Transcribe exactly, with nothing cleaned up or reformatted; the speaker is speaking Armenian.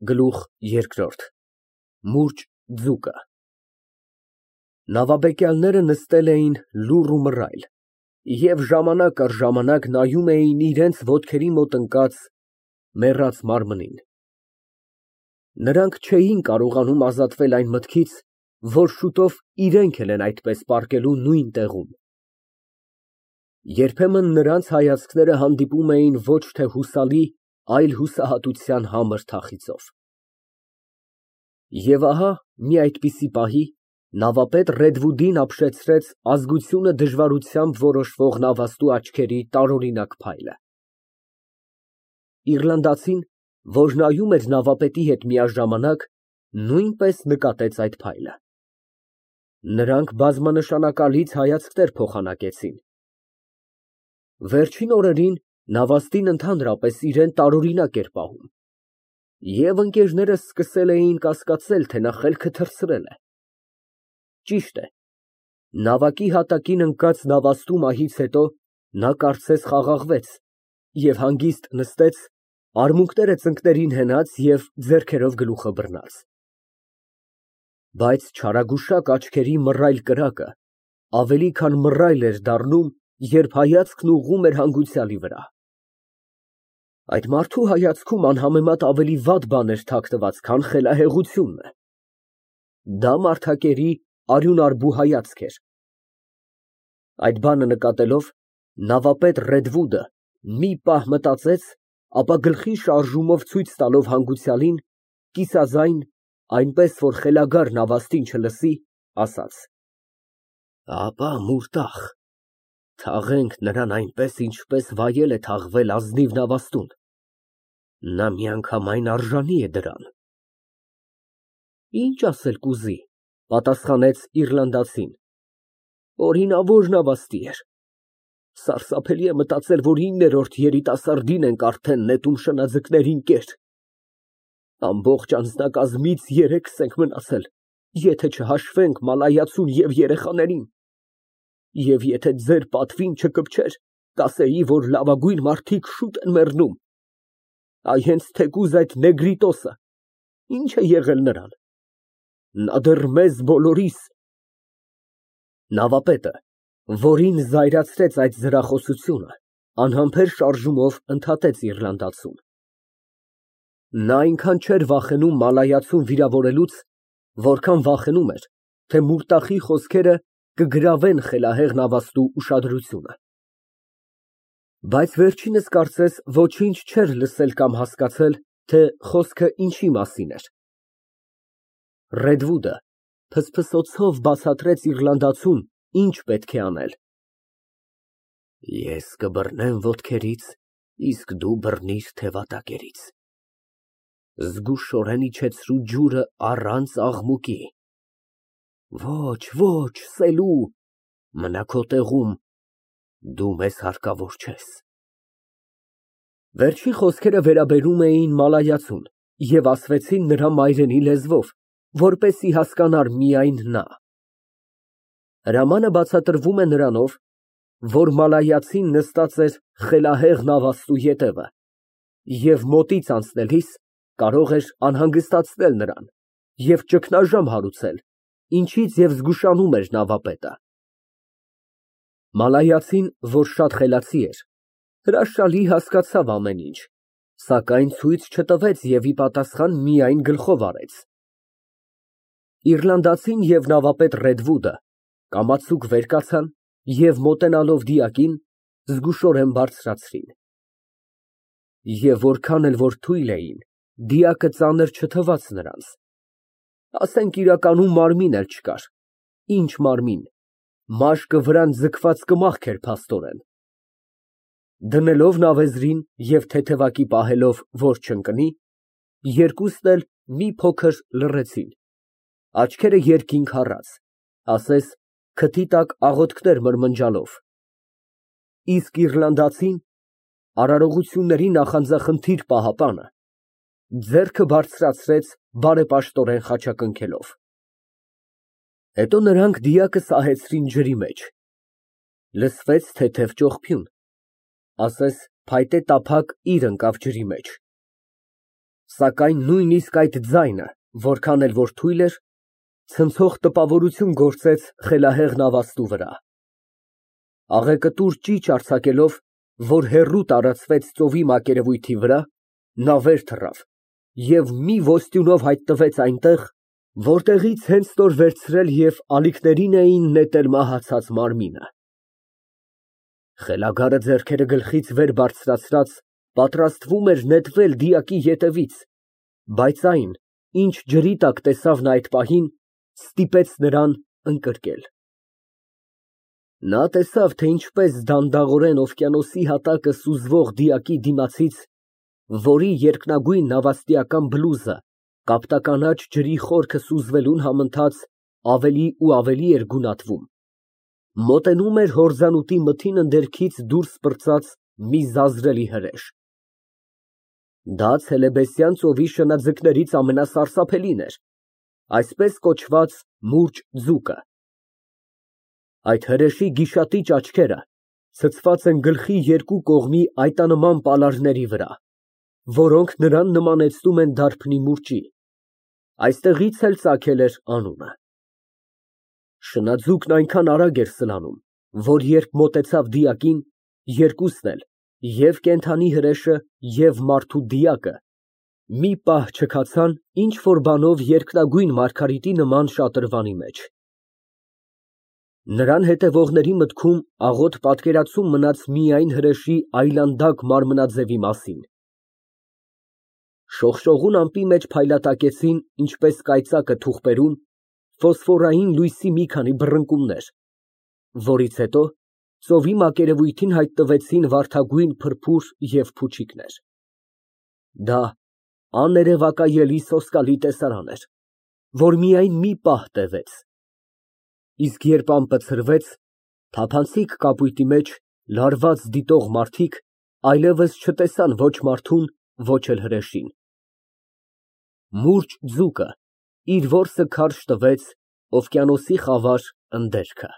Գլուխ երկրորդ ՄՈՒՐՃ ձուկը Նավաբեկյալները նստել էին լուռ ու մռայլ և ժամանակ առ ժամանակ նայում էին իրենց ոտքերի մոտ ընկած մեռած մարմնին. նրանք չէին կարողանում ազատվել այն մտքից, որ շուտով իրենք էլ են այդպես պառկելու նույն տեղում։ Երբեմն նրանց հայացքները հանդիպում էին ոչ թե հուսալի, այլ հուսահատության համր թախիծով։ Եվ ահա մի այդպիսի պահի նավապետ Ռեդվուդին ապշեցրեց ազգությունը դժվարությամբ որոշվող նավաստու աչքերի տարօրինակ փայլը։ Իռլանդացին, որ նայում էր նավապետի հետ միաժամանակ, նույնպես նկատեց այդ փայլը։ Նրանք բազմանշանակալից հայացքներ փոխանակեցին։ Վերջին օրերին նավաստին ընդհանրապես իրան տարօրինակ էր պահում, և ընկերներս սկսել էին կասկածել, թե նա խելքը թռցրել է։ Ճիշտ է, նավակի հատակին ընկած նավաստու մահից հետո նա կարծես խաղաղվեց և հանգիստ նստեց, արմունկները ծնկներին հենած և ձեռքերով գլուխը բռնած։ Բայց չարագուշակ աչքերի մռայլ կրակը ավելի քան մռայլ էր դառնում, երբ հայացքն ուղղում էր հանգուցյալի վրա։ Այդ մարդու հայացքում անհամեմատ ավելի վատ բան էր թաքնված, քան խելահեղությունը։ Դա մարդակերի արյունարբու հայացք էր։ Այդ բանը նկատելով, նավապետ Ռեդվուդը մի պահ մտածեց, ապա գլխի շարժումով ցույց տալով հանգուցյալին, կիսաձայն, այնպես որ խելագար նավաստին չլսի, ասաց. Ապա մուրտախ, թաղենք նրան այնպես, ինչպես վայել է թաղվել ազնիվ նավաստուն, նա միանգամայն արժանի է դրան։ Ինչ ասել կուզի, պատասխանեց իռլանդացին, օրինավոր նավաստի էր։ Սարսափելի է մտածել, որ իններորդ երիտասարդին ենք արդեն նետում շնաձկներին կեր։ Ամբողջ անձնակազմից երեքս ենք մնացել, եթե չհաշվենք մալայացուն և երեխաներին։ Եվ եթե ձեր պատվին չկպչեր, կասեի, որ լավագույն մարդիկ շուտ են մեռնում։ Այ հենց թեկուզ այդ Նեգրիտոսը, ի՞նչ է եղել նրան։ Նա դեռ մեզ բոլորիս… Նավապետը, որին զայրացրեց այդ զրախոսությունը, անհամբեր շարժումով ընդհատեց իռլանդացուն։ Նա այնքան չէր վախենում մալայացուն վիրավորելուց, որքան վախենում էր, թե մուրտախի խոսքերը կգրավեն խելահեղ նավաստու ուշադրությունը։ Բայց վերջինս կարծես ոչինչ չէր լսել կամ հասկացել, թե խոսքը ինչի մասին էր։ Ռեդվուդը ֆսֆսոցով բացատրեց իռլանդացուն, ինչ պետք է անել։ Ես կբռնեմ ոտքերից, իսկ դու բռնիր թևատակերից։ Զգուշորեն իջեցրու ջուրը առանց աղմուկի։ Ոչ, ոչ, սելու, մնա քո տեղում, դու մեզ հարկավոր չես։ Վերջին խոսքերը վերաբերում էին մալայացուն և ասվեցին նրա մայրենի լեզվով, որպեսզի հասկանար միայն նա։ Հրամանը բացատրվում է նրանով, որ մալայացին նստած էր խելահեղ նավաստու ետևը և մոտից անցնելիս կարող էր անհանգստացնել նրան և ճգնաժամ հարուցել, ինչից և զգուշանում էր նավապետը։ Մալայացին, որ շատ խելացի էր, հրաշալի հասկացավ ամեն ինչ, սակայն ցույց չտվեց և ի պատասխան միայն գլխով արեց։ Իռլանդացին և նավապետ Ռեդվուդը կամացուկ վեր կացան և մոտենալով դիակին, զգուշորեն բարձրացրին։ Եվ որքան էլ որ թույլ էին, դիակը ծանր չթվաց նրանց։ Ասենք իրականում մարմին էլ չկար, ինչ մարմին, մաշկը վրան ձգված կմախք էր փաստորեն։ Դնելով նավեզրին և թեթևակի պահելով, որ չընկնի, երկուսն էլ մի փոքր լռեցին, աչքերը երկինք առած, ասես քթի տակ աղոթքներ մրմնջալով, իսկ իռլանդացին, արարողությունների նախանձախնդիր պահապանը, ձեռքը բարձրացրեց բարեպաշտորեն խաչակնքելով։ Հետո նրանք դիակը սահեցրին ջրի մեջ, լսվեց թեթև ճողփյուն, ասես փայտե տափակ իր ընկավ ջրի մեջ։ Սակայն նույնիսկ այդ ձայնը, որքան էլ որ թույլ էր, ցնցող տպավորություն գործեց խելահեղ նավաստու վրա։ Աղեկտուր ճիչ արձակելով, որ հեռու տարածվեց ծովի մակերևույթի վրա, նա վեր թռավ և մի ոստյունով հայտնվեց այնտեղ, որտեղից հենց նոր վերցրել և ալիքներին էին նետել մահացած մարմինը։ Խելագարը ձեռքերը գլխից վեր բարձրացրած, պատրաստվում էր նետվել դիակի ետևից, բայց այն, ինչ ջրի տակ տեսավ նա այդ պահին, ստիպեց նրան ընկրկել։ Նա տեսավ, թե ինչպես դանդաղորեն օվկիանոսի հատակը սուզվող դիակի դիմացից, որի երկնագույն նավաստիական բլուզը կապտականաչ ջրի խորքը սուզվելուն համընթաց ավելի ու ավելի էր գունատվում, մոտենում էր հորձանուտի մթին ընդերքից դուրս պրծած մի զազրելի հրեշ։ Դա Ցելեբեսյան ծովի շնաձկներից ամենասարսափելին էր, այսպես կոչված մուրճ ձուկը։ Այդ հրեշի գիշատիչ աչքերը ցցված են գլխի երկու կողմի այտանման պալարների վրա, որոնք նրան նմանեցնում են դարբնի մուրճի, այստեղից էլ ծագել էր անունը։ Շնաձուկն այնքան արագ էր սլանում, որ երբ մոտեցավ դիակին, երկուսն էլ, և կենդանի հրեշը, և մարդու դիակը, մի պահ չքացան ինչ֊որ բանով երկնագույն մարգարիտի նման շատրվանի մեջ։ Նրան հետևողների մտքում աղոտ պատկերացում մնաց միայն հրեշի այլանդակ մարմնաձևի մասին։ Շողշողուն ամպի մեջ փայլատակեցին, ինչպես կայծակը թուղթերում, ֆոսֆորային լույսի մի քանի բռնկումներ, որից հետո ծովի մակերևույթին հայտնվեցին վարդագույն փրփուր և փուչիկներ։ Դա աներևակայելի սոսկալի տեսարան էր, որ միայն մի պահ տևեց, իսկ երբ ամպը ցրվեց, թափանցիկ կապույտի մեջ լարված դիտող մարդիկ այլևս չտեսան ոչ մարդուն, ոչ էլ հրեշին։ Մուրճ ձուկը իր որսը քարշ տվեց օվկիանոսի խավար ընդերքը։